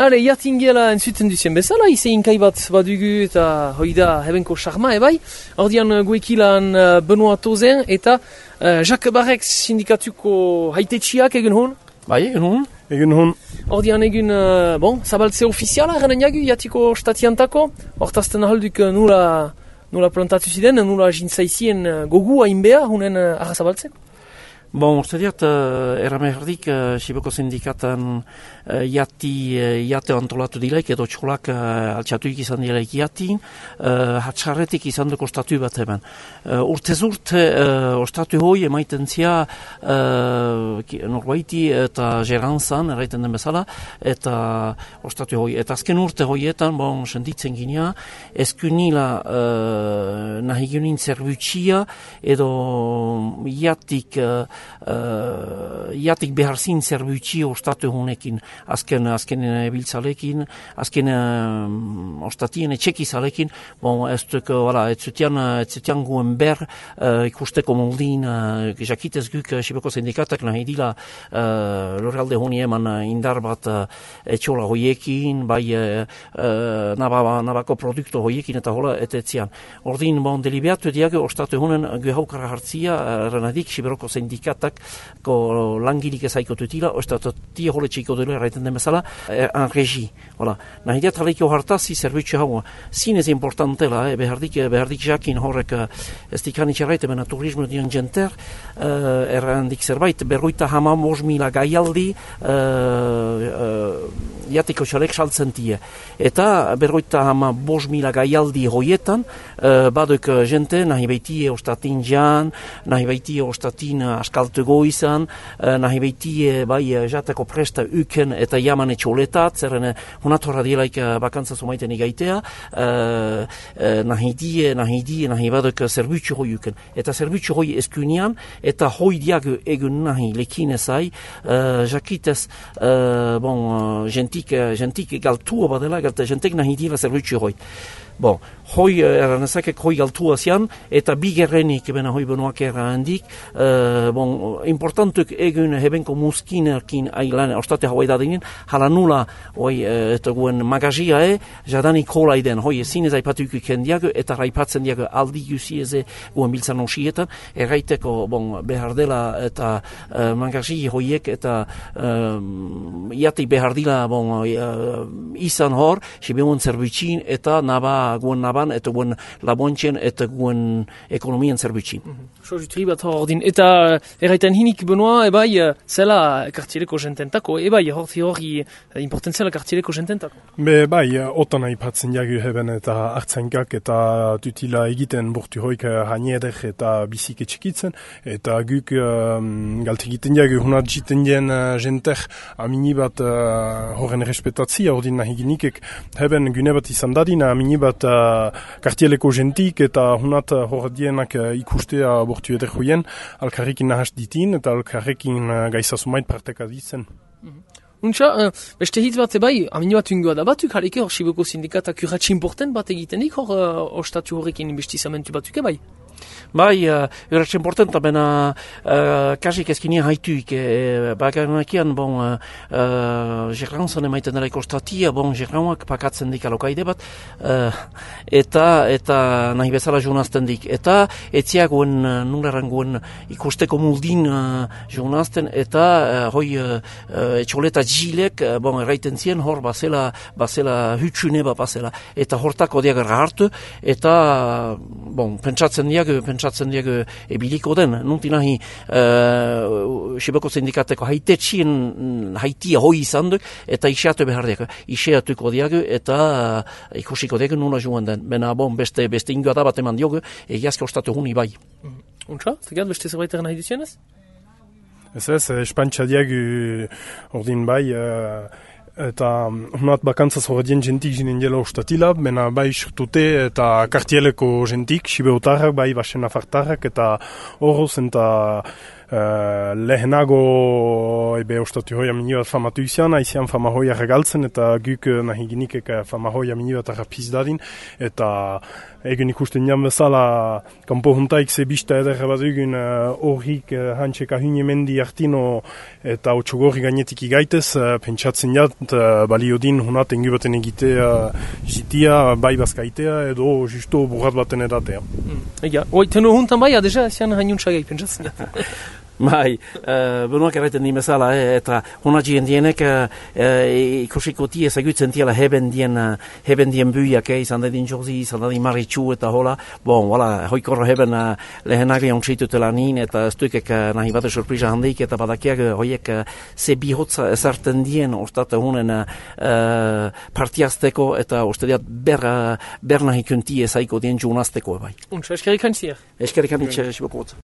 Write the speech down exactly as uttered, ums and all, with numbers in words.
Hale, jatingela entzuten duzien bezala, izein kai bat badugu eta hoi da hebenko charma ebai. Ordian guekilan uh, Benoit Tozen eta uh, Jacques Barrex sindikatuko haitetxiak egin hon? Bai, egin hon. Egin hon. Ordian egin, uh, bon, zabaltze ofiziala eranen jagu, jatiko statiantako. Hortazten ahalduk nula, nula plantatu ziren, nula jintzaizien uh, gogu hainbea, hunen uh, arra zabaltzeko. Bon, uste diat, uh, eramerdik, uh, Siboko sindikatan uh, jati, uh, jate antolatu dilaik, edo txolak uh, altxatuik izan dilaik jatin, uh, hatxarretik izan duko statu bat hemen. Uh, urtez urte, uh, ostatu hoi emaiten zia uh, norbaiti eta gerantzan, erraiten den bezala, eta ostatu hoi. Eta azken urte hoietan, bon, senditzen ginea, eskunila uh, nahi ginen zerbutxia, edo jatik uh, Uh, jatik behar zin zerbutxi ostatu honekin, azken, azken biltzalekin, azken uh, ostatien etxekizalekin, bon, ez duk, voilà, ez zutian, ez zutian guen ber uh, ikusteko moldin, uh, jakitez guk uh, Siboko sindikatak nahi dila uh, loralde honi eman uh, indar bat uh, etxola hoiekin, bai uh, uh, naba, nabako produktu hoiekin eta hola etetzian. Ordin, bon, delibeatu diago ostatu honen gehaukara hartzia, uh, renadik Siboko sindikatak ko langirik ezaiko tutila, ostatotia hole txiko dure erraiten den bezala, en regi. Hola. Nahi diat haleiko hartazi zerbitzu hau, zinez importantela, eh, behardik, behardik jakin horrek ez dikanitxe erraite, bena turismo dian jenter, uh, errandik zerbait, berroita hama mos mila gaialdi, uh, uh, jatiko txalek saltzen tie. Eta berroita hama bos mila gaialdi hoietan, uh, baduk jente, nahi beitie ostatin jan, nahi beitie ostatin askaltu goizan, uh, nahi beitie bai jateko presta uken eta jaman etxoletat, zerren hunat horra dielaik bakantza sumaiten igaitea, uh, uh, nahi die, nahi die, nahi baduk zerbutxu hoi uken. Eta zerbutxu hoi eskunian, eta hoi diago egun nahi lekin ezai, uh, jakitez, uh, bon, uh, gentik, gentik galtua badela, gentek nahi diela zerbutxu hoi. Bon, hoi eranezakek hoi galtua zian, eta bigerrenik bena hoi Benoak errandik, uh, bon, importantuk egun hebenko muskinerkin ailan, ostate hau edadinen, hala nula, hoi, uh, eta guen magazia e, jadanik hola iden, hoi, zinez aipatuko ikendiago, eta raipatzen diago aldi guzieze guen biltzan osietan, erraiteko, bon, behar dela, eta uh, magazia hoiek, eta uh, iatik behar dila, bon, uh, izan hor, sibeun zerbitxin, eta naba guen naban, eta guen labontxen, eta guen ekonomien zerbitxin. So, jutri bat hor ordin. Eta erraiten hinik Benoit, ebai, zela kartieleko jententako, ebai, horti hori importantzela kartieleko jententako. Be, bai, otan aipatzen jagu heben eta hartzainkak eta tutila egiten burtu hoik hanieder eta bizike txikitzen, eta guk um, galt egiten jagu hunat jiten jen uh, jenter amini bat uh, horren respetatzia, ordin nahi ginikek heben gune bat izan dadina amini bat uh, kartieleko jentik eta hunat uh, hordienak uh, ikustea bortu eder hoien, alkarrekin nahas ditin eta alkarrekin uh, gaizasumait parteka ditzen. Mm-hmm. Untxa, uh, beste hitz bat ebai, amini bat ungoa da batuk, haleke hor Siboko sindikatak urratxe important bat egitenik hor uh, ostatu horrekin investizamentu batuk ebai? Bai, uh, urratxe importanta, bena uh, kasik ezkinia haituik, e, baganakian, bon, uh, uh, gerrantzan emaiten dela ikostatia, bon, gerrauak pakatzen dik alokaide bat, uh, eta, eta nahi bezala jounazten dik. Eta, etziagoen, uh, nuleran goen ikusteko muldin uh, jounazten, eta uh, hoi uh, uh, etxoleta jilek, uh, bon, erraiten zien, hor bazela, bazela hutsune bat bazela. Eta hortako diagar hartu, eta, bon, pentsatzen diago, pentsatzen diago ebiliko den. Nunti nahi, uh, Siboko sindikateko haitetxien haitia hoi izan duk, eta iseatu behar diago. Iseatuko diago, eta uh, ikusiko diago nuna joan den. Bena, bon, beste, beste ingoa da bat eman diogo, egiazke ostatu huni bai. Untxa, zegat, beste zerbait eran nahi duzienez? Ez ez, espantxa diago ordin bai, uh, eta hunat bakantzaz horretien jentik jinen jela ostatila, bena bai surtute eta kartieleko jentik, sibeotarrak, bai basen afartarrak, eta horoz eta uh, lehenago ebe ostatu hoia mini bat famatu izan, aizian fama hoia regaltzen, eta guk nahi ginikek fama hoia mini bat arrapiz dadin, eta egun ikusten jan bezala, kanpo juntaik ze bista eder bat egun horrik uh, hantseka hune mendi artino eta otxogorri gainetik igaitez, uh, pentsatzen jat, uh, balio din hunat engu baten egitea jitia, bai bazkaitea, edo justo burrat baten edatea. Mm. Ega, oi, tenu huntan bai, adeja, zian hainiuntxagai pentsatzen jat. Bai, uh, benuak erraiten di bezala, eh, eta honatxien dienek uh, uh, ikusiko tie ezagutzen tiela heben dien, uh, heben dien buiak, eh, izan dadin Josi, izan dadin Maritxu eta hola, bon, wala, hoikorra heben uh, lehenagri ontsitutela nin, eta ez duikek uh, nahi bat surprisa handik, eta badakiak uh, hoiek uh, ze bihotza ezarten dien, ostat hunen uh, uh, partiazteko, eta ostediat ber, uh, ber nahi kunti ezaiko dien junazteko, bai. Untsa, eskerrik antziak. Eskerrik antziak, esibokot.